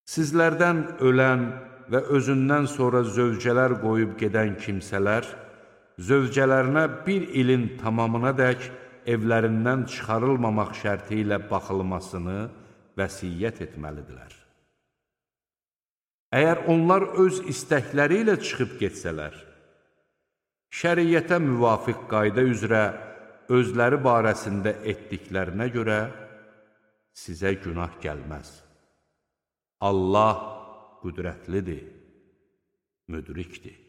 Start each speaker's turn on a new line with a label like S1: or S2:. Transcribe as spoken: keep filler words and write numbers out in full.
S1: Sizlərdən ölən və özündən sonra zövcələr qoyub gedən kimsələr, zövcələrinə bir ilin tamamına dək evlərindən çıxarılmamaq şərti ilə baxılmasını vəsiyyət etməlidirlər. Əgər onlar öz istəkləri ilə çıxıb getsələr, şəriyyətə müvafiq qayda üzrə özləri barəsində etdiklərinə görə sizə günah gəlməz. Allah qüdrətlidir, müdrikdir.